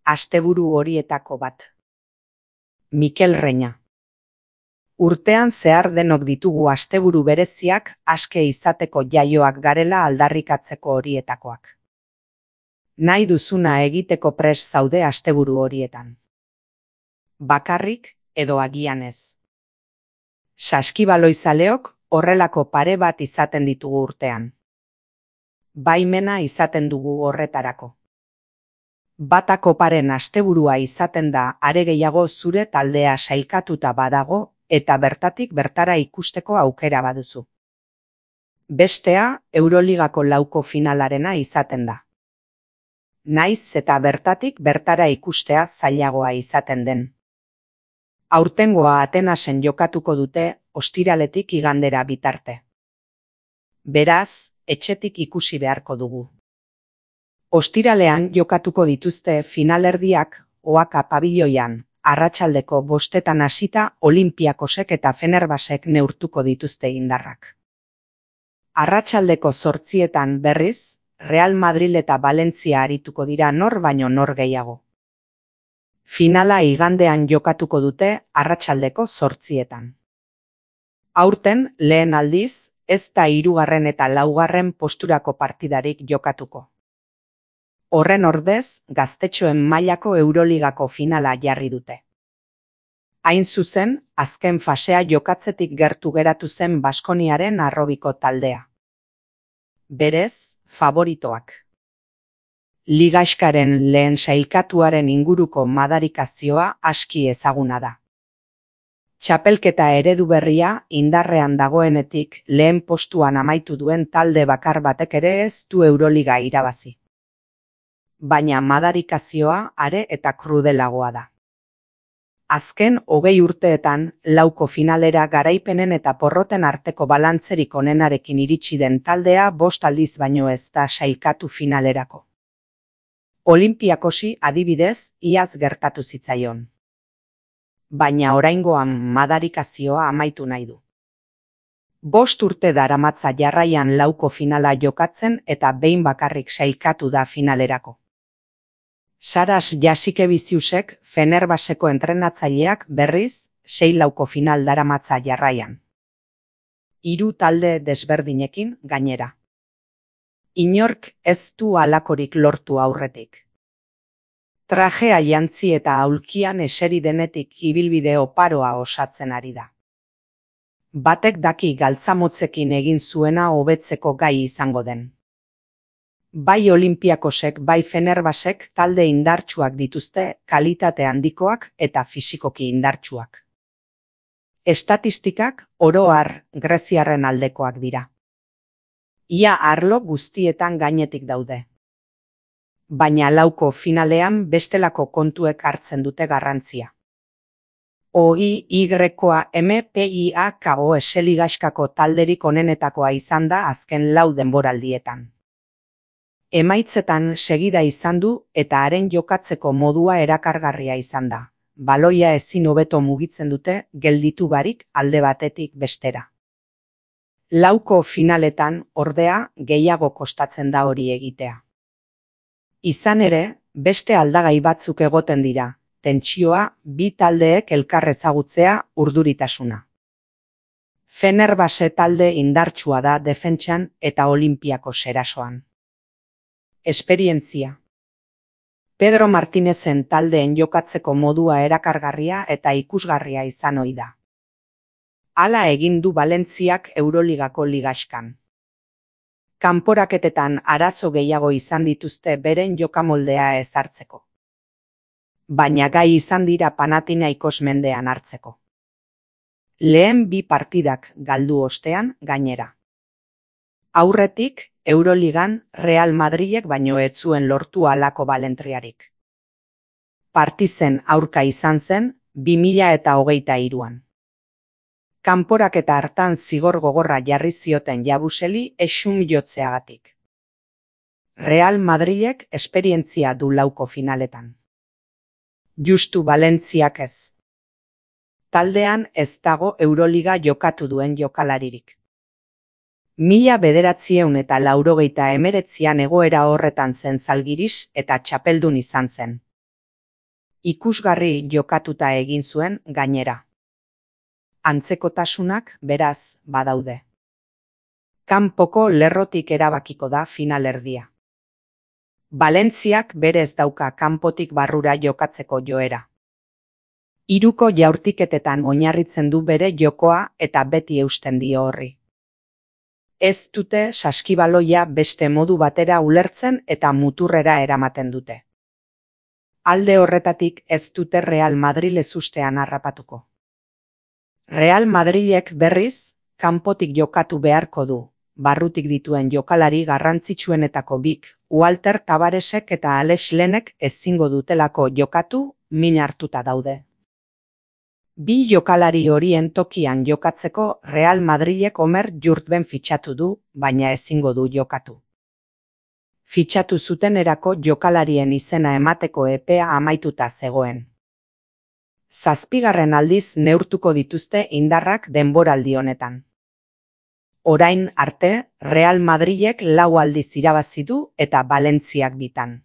asteburu horietako bat. Mikel Reña. Urtean zehar denok ditugu asteburu bereziak aske izateko jaioak garela aldarrikatzeko horietakoak. Nahi duzuna egiteko prest zaude asteburu horietan. Bakarrik edo agian ez. Saskibaloizaleok horrelako pare bat izaten ditugu urtean. Baimena izaten dugu horretarako. Batako paren asteburua izaten da are gehiago zure taldea sailkatuta badago eta bertatik bertara ikusteko aukera baduzu. Bestea Euroligako lauko finalarena izaten da. Naiz eta bertatik bertara ikustea zailagoa izaten den. Aurtengoa Atenasen jokatuko dute ostiraletik igandera bitarte. Beraz, etxetik ikusi beharko dugu. Ostiralean jokatuko dituzte finalerdiak Oaka pabiloian, arratsaldeko 5 hasita Olimpiakosek eta Fenerbahcek neurtuko dituzte indarrak. Arratsaldeko 8 berriz, Real Madrid eta Valentzia arituko dira nor baino nor gehiago. Finala igandean jokatuko dute arratsaldeko 8. Aurten lehen aldiz, ez da 3. eta 4. posturako partidarik jokatuko. Horren ordez, gaztetxoen mailako Euroligako finala jarri dute. Hain zuzen, azken fasea jokatzetik gertu geratu zen Baskoniaren harrobiko taldea. Berez, favoritoak. Ligaxkaren lehen sailkatuaren inguruko madarikazioa aski ezaguna da. Txapelketa eredu berria indarrean dagoenetik lehen postuan amaitu duen talde bakar batek ere ez du Euroliga irabazi. Baina madarikazioa are eta krudelagoa da. Azken 20 urteetan lauko finalera garaipenen eta porroten arteko balantzerik onenarekin iritsi den taldea 5 aldiz baino ez da sailkatu finalerako. Olimpiakosi adibidez iaz gertatu zitzaion. Baina oraingoan madarikazioa amaitu nahi du. 5 urte daramatza jarraian lauko finala jokatzen eta behin bakarrik sailkatu da finalerako. Saras Jasikevičiusek Fenerbahceko entrenatzaileak berriz 6 lauko final daramatza jarraian. 3 talde desberdinekin gainera. Inork ez du halakorik lortu aurretik. Trajea jantzi eta aulkian eseri denetik ibilbide oparoa osatzen ari da. Batek daki galtzamotzekin egin zuena hobetzeko gai izango den. Bai Olimpiakosek, bai Fenerbahcek talde indartsuak dituzte, kalitate handikoak eta fisikoki indartsuak. Estatistikak oro har greziarren aldekoak dira. Ia arlo guztietan gainetik daude. Baina lauko finalean bestelako kontuek hartzen dute garrantzia. OIYMPIAKO eseligaskako talderik onenetakoa izan da azken 4 denboraldietan. Emaitzetan segida izan du eta haren jokatzeko modua erakargarria izan da. Baloia ezin hobeto mugitzen dute gelditu barik alde batetik bestera. Lauko finaletan ordea gehiago kostatzen da hori egitea. Izan ere, beste aldagai batzuk egoten dira, tentsioa, bi taldeek elkar ezagutzea, urduritasuna. Fenerbahce talde indartsua da defentsan eta Olimpiakos erasoan. Esperientzia. Pedro Martinezen taldeen jokatzeko modua erakargarria eta ikusgarria izan ohi da. Hala egin du Valentziak Euroligako ligaxkan. Kanporaketetan arazo gehiago izan dituzte beren jokamoldea ezartzeko. Baina gai izan dira Panathinaikos mendean hartzeko. Lehen 2 partidak galdu ostean gainera. Aurretik, Euroligan Real Madridek baino ez zuen lortu halako balentriarik. Partizen aurka izan zen 2023an. Kanporaketa hartan zigor gogorra jarri zioten Jabuseli esun jotzeagatik. Real Madridek esperientzia du lauko finaletan. Justu Valentziak ez. Taldean ez dago Euroliga jokatu duen jokalaririk. 1989an egoera horretan zen Zalgiris eta txapeldun izan zen. Ikusgarri jokatuta egin zuen gainera. Antzekotasunak beraz badaude. Kanpoko lerrotik erabakiko da finalerdia. Valentziak berez dauka kanpotik barrura jokatzeko joera. Hiruko jaurtiketetan oinarritzen du bere jokoa eta beti eusten dio horri. Ez dute saskibaloia beste modu batera ulertzen eta muturrera eramaten dute. Alde horretatik ez dute Real Madrid ezustean harrapatuko. Real Madrilek berriz, kanpotik jokatu beharko du, barrutik dituen jokalari garrantzitsuenetako bik, Walter Tavaresek eta Alex Lenek ezingo dutelako jokatu, min hartuta daude. Bi jokalari horien tokian jokatzeko Real Madrilek Omer Jurtben fitxatu du, baina ezingo du jokatu. Fitxatu zutenerako jokalarien izena emateko epea amaituta zegoen. 7. aldiz neurtuko dituzte indarrak denboraldi honetan. Orain arte, Real Madrilek 4 aldiz irabazi du eta Valentziak 2.